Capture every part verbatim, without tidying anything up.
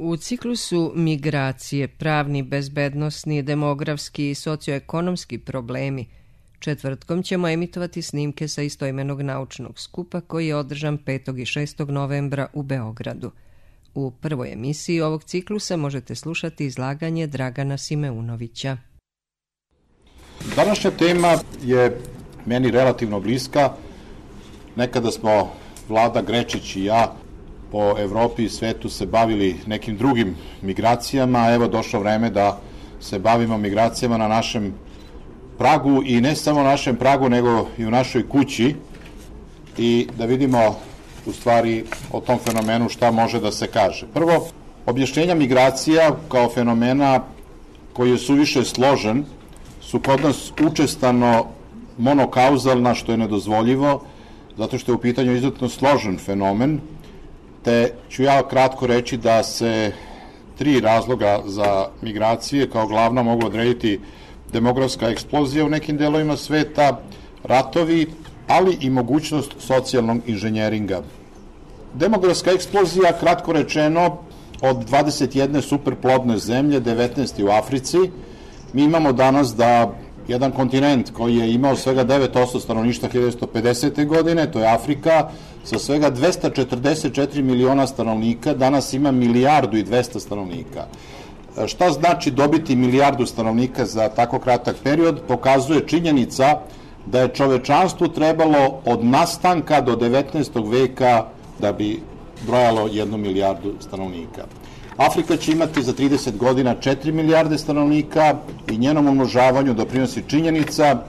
U ciklusu migracije, pravni, bezbednosni, demografski i socioekonomski problemi, četvrtkom ćemo emitovati snimke sa istoimenog naučnog skupa koji je održan petog i šestog novembra u Beogradu. U prvoj emisiji ovog ciklusa možete slušati izlaganje Dragana Simeunovića. Današnja tema je meni relativno bliska. Nekada smo Vlada Grečić i ja po Evropi i svetu se bavili nekim drugim migracijama, a evo došlo vreme da se bavimo migracijama na našem pragu i ne samo na našem pragu, nego i u našoj kući i da vidimo u stvari o tom fenomenu šta može da se kaže. Prvo, objašnjenja migracija kao fenomena koji je suviše složen su kod nas učestano monokauzalna, što je nedozvoljivo, zato što je u pitanju izuzetno složen fenomen, te ću ja kratko reći da se tri razloga za migracije kao glavna mogu odrediti: demografska eksplozija u nekim delovima sveta, ratovi, ali i mogućnost socijalnog inženjeringa. Demografska eksplozija, kratko rečeno, od dvadeset jedne superplodne zemlje, devetnaest u Africi, mi imamo danas da jedan kontinent koji je imao svega devet posto stanovništva hiljadu devetsto pedesete. godine, to je Afrika, sa svega dvesta četrdeset četiri miliona stanovnika, danas ima milijardu i dvesta stanovnika. Šta znači dobiti milijardu stanovnika za tako kratak period? Pokazuje činjenica da je čovečanstvu trebalo od nastanka do devetnaestog veka da bi brojalo jednu milijardu stanovnika. Afrika će imati za trideset godina četiri milijarde stanovnika i njenom umnožavanju doprinosi činjenica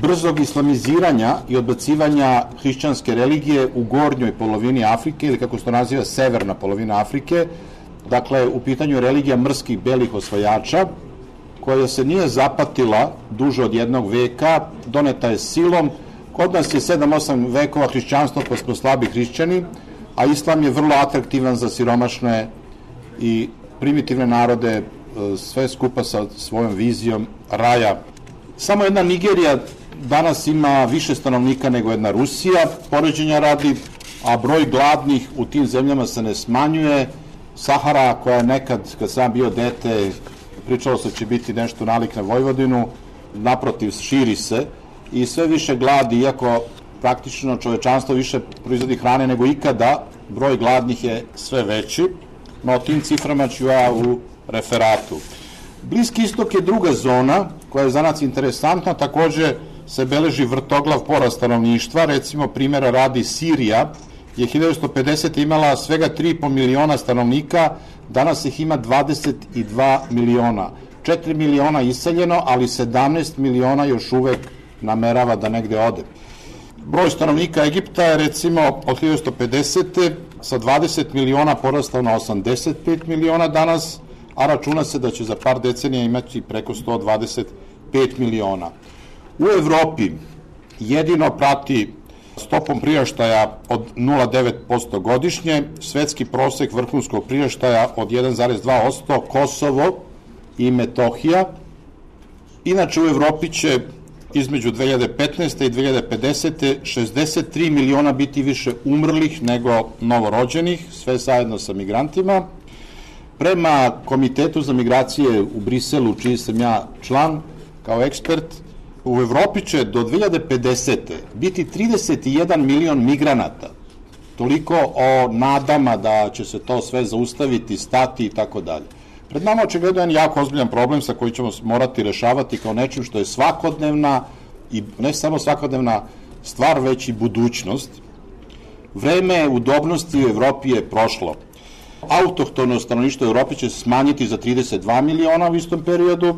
brzog islamiziranja i odbacivanja hrišćanske religije u gornjoj polovini Afrike, ili kako se to naziva, severna polovina Afrike. Dakle, u pitanju je religija mrskih belih osvajača, koja se nije zapatila duže od jednog veka, doneta je silom. Kod nas je sedam osam vekova hrišćanstva, pa smo slabi hrišćani, a islam je vrlo atraktivan za siromašne i primitivne narode, sve skupa sa svojom vizijom raja. Samo jedna Nigerija danas ima više stanovnika nego jedna Rusija, poređenja radi, a broj gladnih u tim zemljama se ne smanjuje. Sahara, koja je nekad, kad sam bio dete, pričalo se će biti nešto nalik na Vojvodinu, naprotiv, širi se i sve više gladi, iako praktično čovečanstvo više proizvodi hrane nego ikada, broj gladnih je sve veći, no o tim ciframa ću ja u referatu. Bliski istok je druga zona koja je za nas interesantna, takođe se beleži vrtoglav porast stanovništva, recimo primjera radi Sirija je hiljadu devetsto pedesete. imala svega tri i po miliona stanovnika, danas ih ima dvadeset dva miliona. četiri miliona iseljeno, ali sedamnaest miliona još uvek namerava da negde ode. Broj stanovnika Egipta je recimo od hiljadu devetsto pedesete. sa dvadeset miliona porastao na osamdeset pet miliona danas, a računa se da će za par decenija imati preko sto dvadeset pet miliona. U Evropi jedino prati stopom priraštaja od nula zarez devet posto godišnje, svetski prosek vrhunskog priraštaja od jedan zarez dva posto, Kosovo i Metohija. Inače u Evropi će između dve hiljade petnaeste. i dve hiljade pedesete. šezdeset tri miliona biti više umrlih nego novorođenih, sve zajedno sa migrantima. Prema Komitetu za migracije u Briselu, čiji sam ja član kao ekspert, u Evropi će do dve hiljade pedesete. biti trideset jedan milion migranata. Toliko o nadama da će se to sve zaustaviti, stati i tako dalje. Pred nama očigledno jedan jako ozbiljan problem sa koji ćemo morati rešavati kao nečim što je svakodnevna i ne samo svakodnevna stvar, već i budućnost. Vreme udobnosti u Evropi je prošlo. Autohtono stanovništvo u Evropi će se smanjiti za trideset dva miliona u istom periodu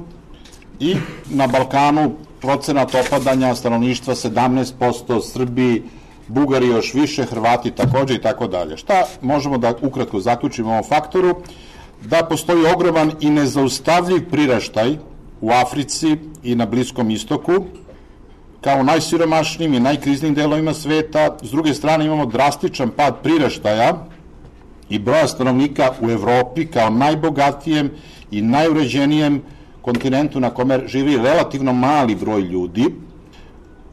i na Balkanu procenat opadanja stanovništva sedamnaest posto, Srbi, Bugari još više, Hrvati takođe i tako dalje. Šta možemo da ukratko zaključimo o ovom faktoru? Da postoji ogroman i nezaustavljiv priraštaj u Africi i na Bliskom istoku, kao najsiromašnijim i najkriznijim delovima sveta. S druge strane imamo drastičan pad priraštaja i broja stanovnika u Evropi kao najbogatijem i najuređenijem kontinentu na kome živi relativno mali broj ljudi.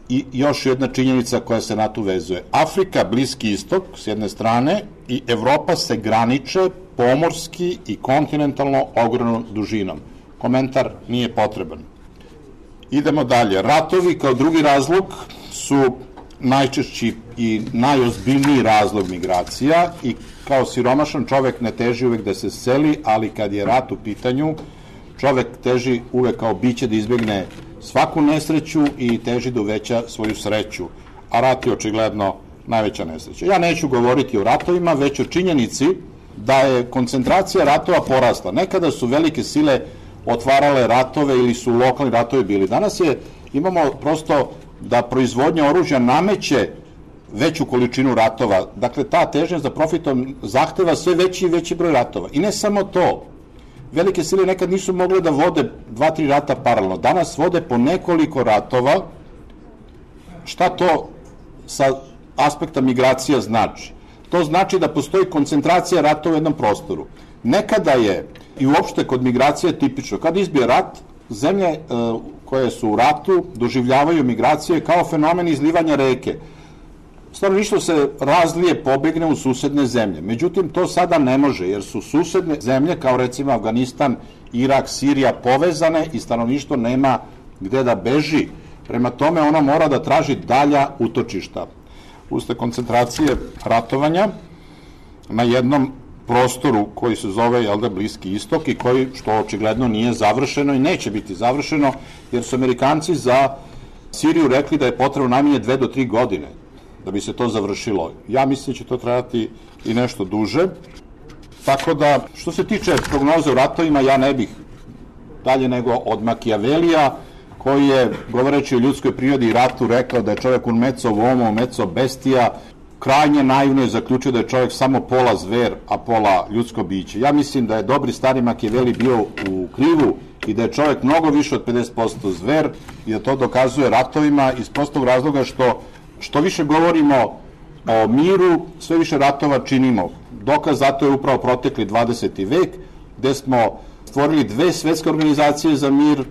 I još jedna činjenica koja se na to vezuje. Afrika, Bliski istok s jedne strane i Evropa se graniče pomorski i kontinentalno ogromnom dužinom. Komentar nije potreban. Idemo dalje. Ratovi kao drugi razlog su najčešći i najozbiljniji razlog migracija i kao siromašan čovek ne teži uvek da se seli, ali kad je rat u pitanju, čovek teži uvek kao biće da izbegne svaku nesreću i teži da uveća svoju sreću, a rat je očigledno najveća nesreća. Ja neću govoriti o ratovima, već o činjenici da je koncentracija ratova porasla. Nekada su velike sile otvarale ratove ili su lokalni ratovi bili. Danas je, imamo prosto da proizvodnja oružja nameće veću količinu ratova. Dakle, ta težnja za profitom zahteva sve veći i veći broj ratova. I ne samo to. Velike sile nekad nisu mogle da vode dva, tri rata paralelno. Danas vode po nekoliko ratova. Šta to sa aspekta migracija znači? To znači da postoji koncentracija ratova u jednom prostoru. Nekada je, i uopšte kod migracije tipično, kad izbije rat, zemlje e, koje su u ratu doživljavaju migracije kao fenomen izlivanja reke. Stanovništvo se razlije, pobegne u susedne zemlje. Međutim, to sada ne može, jer su susedne zemlje, kao recimo Afganistan, Irak, Sirija, povezane i stanovništvo nema gde da beži. Prema tome, ona mora da traži dalja utočišta. Usled koncentracije ratovanja na jednom prostoru koji se zove, jel da, Bliski istok i koji, što očigledno nije završeno i neće biti završeno, jer su Amerikanci za Siriju rekli da je potrebno najmanje dve do tri godine da bi se to završilo. Ja mislim da će to trajati i nešto duže. Tako da, što se tiče prognoze o ratovima, ja ne bih dalje nego od Makijavelija, koji je, govoreći o ljudskoj prirodi i ratu, rekao da je čovjek un mezzo uomo, mezzo bestia, krajnje naivno je zaključio da je čovjek samo pola zver, a pola ljudsko biće. Ja mislim da je dobri stari Makijaveli bio u krivu i da je čovjek mnogo više od pedeset posto zver i da to dokazuje ratovima iz prostog razloga što što više govorimo o miru, sve više ratova činimo. Dokaz zato je upravo protekli dvadeseti vek, gde smo stvorili dve svetske organizacije za mir,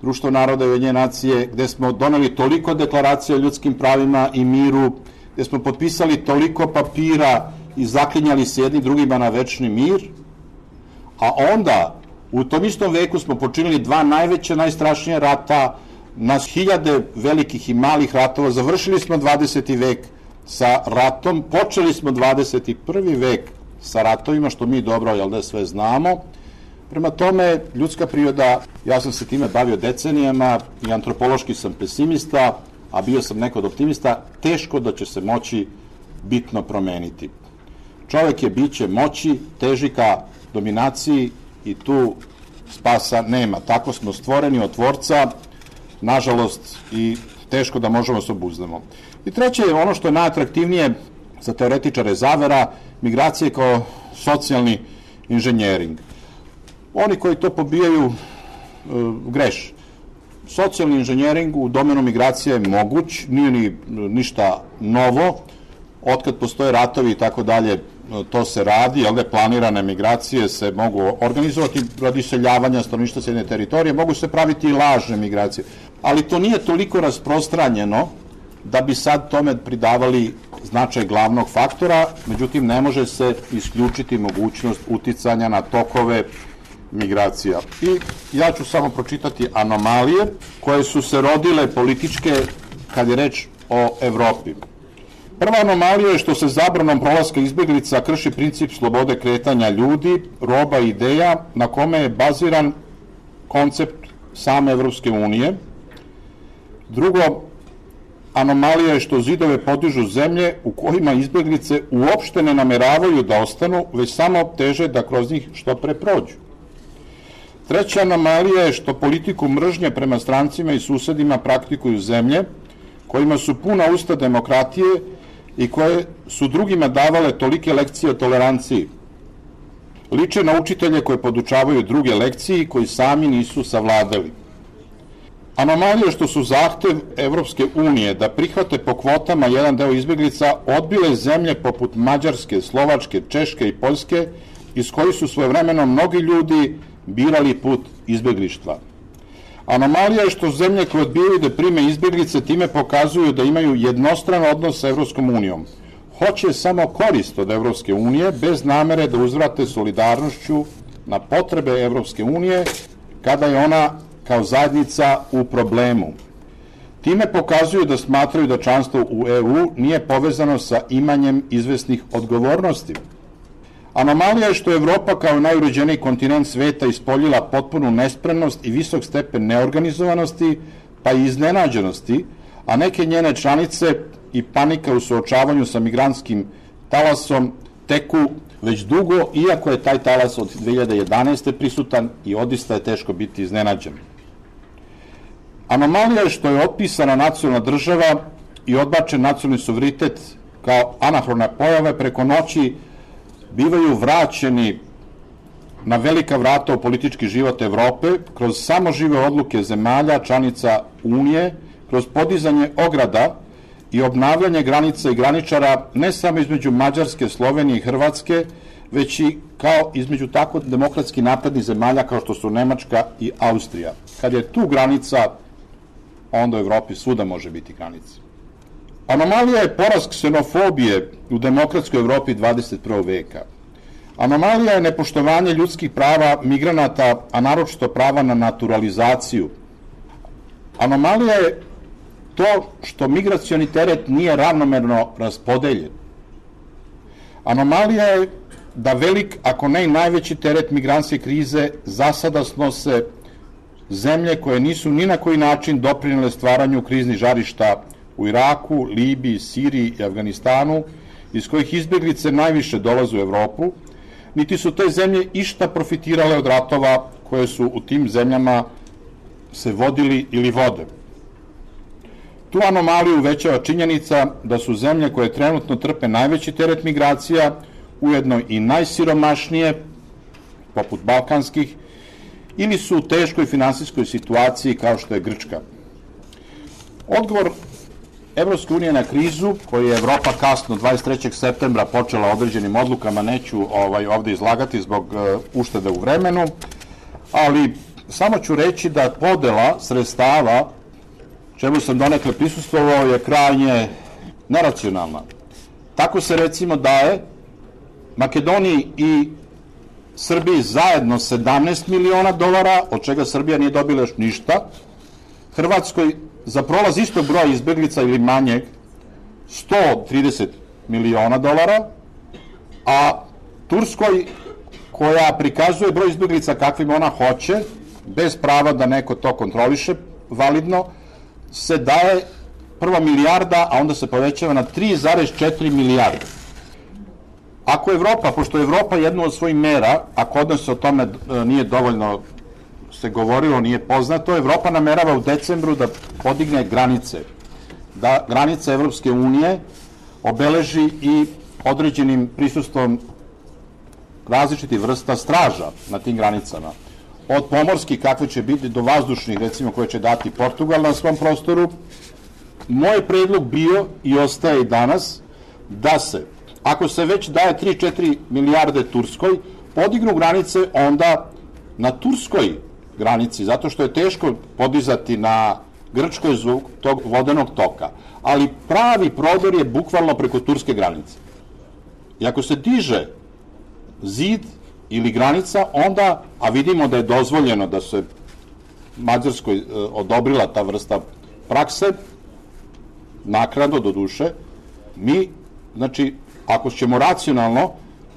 Društvo naroda i Ujedinjene nacije, gde smo doneli toliko deklaracija o ljudskim pravima i miru, gde smo potpisali toliko papira i zaklinjali se jedni drugima na večni mir, a onda u tom istom veku smo počinili dva najveća, najstrašnija rata, na hiljade velikih i malih ratova. Završili smo dvadeseti vek sa ratom, počeli smo dvadeset prvi vek sa ratovima, što mi dobro, jel da, sve znamo. Prema tome, ljudska priroda, ja sam se time bavio decenijama i antropološki sam pesimista, a bio sam neko od optimista, teško da će se moći bitno promeniti. Čovek je biće moći, teži ka dominaciji i tu spasa nema. Tako smo stvoreni od Tvorca, nažalost, i teško da možemo se obuzdamo. I treće je ono što je najatraktivnije za teoretičare zavera, migracije kao socijalni inženjering. Oni koji to pobijaju e, greš. Socijalni inženjering u domenu migracije je moguć, nije ni ništa novo, otkad postoje ratovi i tako dalje, to se radi, jel da, planirane migracije se mogu organizovati radi iseljavanja stanovništva s jedne teritorije, mogu se praviti i lažne migracije, ali to nije toliko rasprostranjeno da bi sad tome pridavali značaj glavnog faktora, međutim ne može se isključiti mogućnost uticanja na tokove migracija. I ja ću samo pročitati anomalije koje su se rodile političke kad je reč o Evropi. Prva anomalija je što se zabranom prolaska izbeglica krši princip slobode kretanja ljudi, roba i ideja na kome je baziran koncept same Evropske unije. Drugo, anomalija je što zidove podižu zemlje u kojima izbeglice uopšte ne nameravaju da ostanu, već samo teže da kroz njih što pre prođu. Treća anomalija je što politiku mržnje prema strancima i susedima praktikuju zemlje kojima su puna usta demokratije i koje su drugima davale tolike lekcije o toleranciji. Liče na učitelje koje podučavaju druge lekcije koji sami nisu savladali. Anomalija je što su zahtev Evropske unije da prihvate po kvotama jedan deo izbeglica odbile zemlje poput Mađarske, Slovačke, Češke i Poljske, iz kojih su svojevremeno mnogi ljudi birali put izbeglištva. Anomalija je što zemlje koje odbijaju da prime izbeglice time pokazuju da imaju jednostran odnos sa Evropskom unijom. hoće samo korist od Evropske unije bez namere da uzvrate solidarnošću na potrebe Evropske unije kada je ona kao zajednica u problemu. Time pokazuju da smatraju da članstvo u E U nije povezano sa imanjem izvesnih odgovornosti. Anomalija je što je Evropa kao najuređeniji kontinent sveta ispoljila potpunu nespremnost i visok stepen neorganizovanosti pa i iznenađenosti, a neke njene članice i panika u suočavanju sa migrantskim talasom teku već dugo, iako je taj talas od dve hiljade jedanaeste. prisutan i odista je teško biti iznenađen. Anomalija je što je otpisana nacionalna država i odbačen nacionalni suverenitet kao anahrona pojave preko noći bivaju vraćeni na velika vrata u politički život Evrope kroz samožive odluke zemalja, članica Unije, kroz podizanje ograda i obnavljanje granica i graničara ne samo između Mađarske, Slovenije i Hrvatske, već i kao između tako demokratski naprednih zemalja kao što su Nemačka i Austrija. Kad je tu granica, onda u Evropi svuda može biti granica. Anomalija je porast ksenofobije u demokratskoj Evropi dvadeset prvog veka. Anomalija je nepoštovanje ljudskih prava migranata, a naročito prava na naturalizaciju. Anomalija je to što migracioni teret nije ravnomerno raspodeljen. Anomalija je da velik, ako ne i najveći teret migrantske krize za sada snose zemlje koje nisu ni na koji način doprinele stvaranju kriznih žarišta u Iraku, Libiji, Siriji i Afganistanu, iz kojih izbjeglice najviše dolaze u Evropu, niti su te zemlje išta profitirale od ratova koje su u tim zemljama se vodili ili vode. Tu anomaliju uvećava činjenica da su zemlje koje trenutno trpe najveći teret migracija, ujedno i najsiromašnije, poput balkanskih, ili su u teškoj finansijskoj situaciji kao što je Grčka. Odgovor Evropske unije na krizu, koju je Evropa kasno dvadeset trećeg septembra počela određenim odlukama, neću ovaj, ovde izlagati zbog uh, uštede u vremenu, ali samo ću reći da podela sredstava, čemu sam donekle prisustvovao, je krajnje neracionalna. Tako se recimo daje Makedoniji i Srbiji zajedno sedamnaest miliona dolara, od čega Srbija nije dobila još ništa, Hrvatskoj za prolaz istog broja izbeglica ili manjeg sto trideset miliona dolara, a Turskoj, koja prikazuje broj izbeglica kakvim ona hoće, bez prava da neko to kontroliše validno, se daje prva milijarda, a onda se povećava na tri zarez četiri milijarde. Ako Evropa, pošto je Evropa jednu od svojih mera, a kod nas o tome nije dovoljno se govorilo, nije poznato, Evropa namerava u decembru da podigne granice, da granice Evropske unije obeleži i određenim prisustvom različitih vrsta straža na tim granicama. Od pomorskih, kakve će biti, do vazdušnih, recimo, koje će dati Portugal na svom prostoru. Moj predlog bio i ostaje i danas da se, ako se već daje tri do četiri milijarde Turskoj, podignu granice onda na turskoj granici, zato što je teško podizati na Grčkoj zbog tog vodenog toka. Ali pravi prodor je bukvalno preko turske granice. I ako se diže zid ili granica, onda, a vidimo da je dozvoljeno da se Mađarskoj e, odobrila ta vrsta prakse, naknadno do duše, mi, znači, ako ćemo racionalno,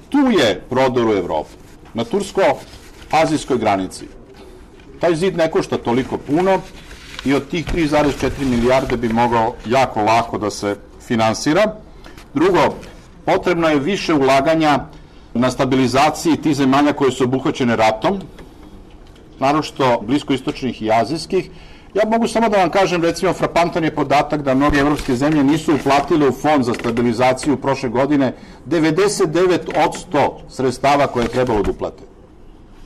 tu je prodor u Evropu, na tursko-azijskoj granici. Taj zid ne košta toliko puno i od tih tri zarez četiri milijarde bi mogao jako lako da se finansira. Drugo, potrebno je više ulaganja na stabilizaciji tih zemalja koje su obuhvaćene ratom, naročito bliskoistočnih i azijskih. Ja mogu samo da vam kažem, recimo, frapantan je podatak da mnoge evropske zemlje nisu uplatile u fond za stabilizaciju prošle godine devedeset devet posto sredstava koje je trebalo da uplate.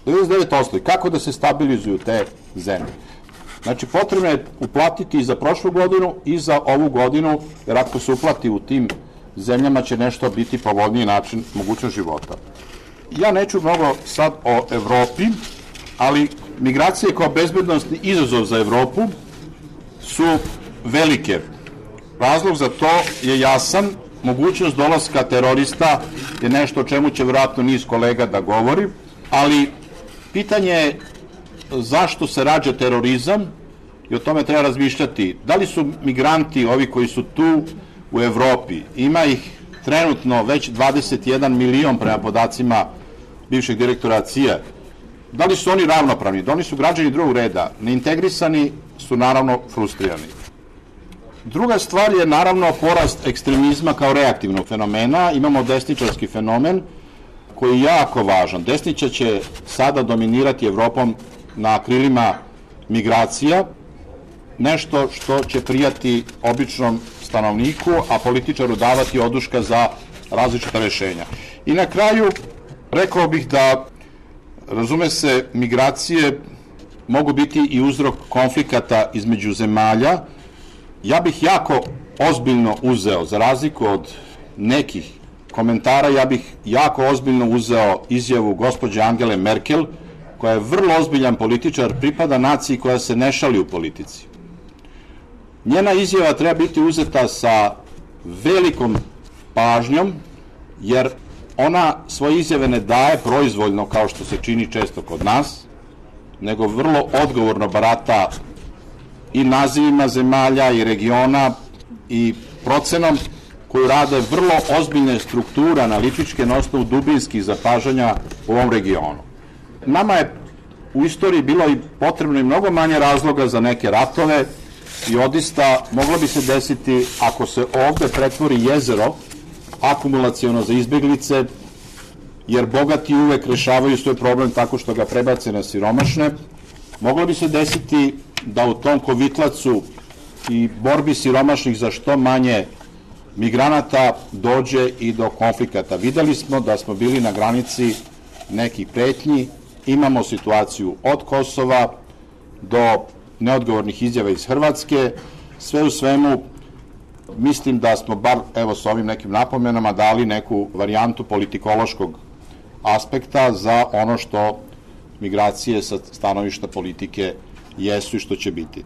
devedeset devet posto. I kako da se stabilizuju te zemlje? Znači, potrebno je uplatiti i za prošlu godinu i za ovu godinu, jer ako se uplati u tim zemljama će nešto biti povoljniji način mogućnost života. Ja neću mnogo sad o Evropi, ali migracije kao bezbednostni izazov za Evropu su velike. Razlog za to je jasan. mogućnost dolaska terorista je nešto o čemu će vjerojatno niz kolega da govori, ali pitanje je zašto se rađa terorizam i o tome treba razmišljati. Da li su migranti, ovi koji su tu u Evropi, ima ih trenutno već dvadeset jedan milion prema podacima bivšeg direktora C I A, da li su oni ravnopravni? Da oni su građani drugog reda, neintegrisani su naravno frustrirani. Druga stvar je naravno porast ekstremizma kao reaktivnog fenomena. Imamo desničarski fenomen koji je jako važan. Desničar će sada dominirati Evropom na krilima migracija, nešto što će prijati običnom stanovniku, a političaru davati oduška za različita rešenja. I na kraju rekao bih da, razume se, migracije mogu biti i uzrok konflikata između zemalja. Ja bih jako ozbiljno uzeo, za razliku od nekih komentara, ja bih jako ozbiljno uzeo izjavu gospođe Angele Merkel, koja je vrlo ozbiljan političar, pripada naciji koja se ne šali u politici. Njena izjava treba biti uzeta sa velikom pažnjom, jer ona svoje izjave ne daje proizvoljno, kao što se čini često kod nas, nego vrlo odgovorno barata i nazivima zemalja i regiona i procenom koju rade vrlo ozbiljne strukture analitičke na osnovu dubinskih zapažanja u ovom regionu. Nama je u istoriji bilo i potrebno i mnogo manje razloga za neke ratove i odista moglo bi se desiti, ako se ovde pretvori jezero akumulaciono za izbeglice, jer bogati uvek rešavaju svoj problem tako što ga prebace na siromašne, moglo bi se desiti da u tom kovitlacu i borbi siromašnih za što manje migranata dođe i do konflikata. Videli smo da smo bili na granici nekih pretnji, imamo situaciju od Kosova do neodgovornih izjava iz Hrvatske. Sve u svemu, mislim da smo bar, evo, s ovim nekim napomenama dali neku varijantu politikološkog aspekta za ono što migracije sa stanovišta politike jesu i što će biti.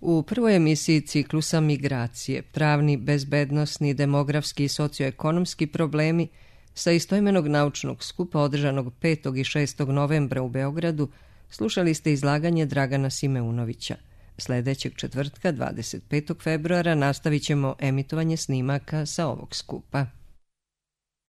U prvoj emisiji ciklusa Migracije, pravni, bezbednosni, demografski i socioekonomski problemi sa istoimenog naučnog skupa održanog petog i šestog novembra u Beogradu, slušali ste izlaganje Dragana Simeunovića. Sledećeg četvrtka, dvadeset petog februara, nastavit ćemo emitovanje snimaka sa ovog skupa.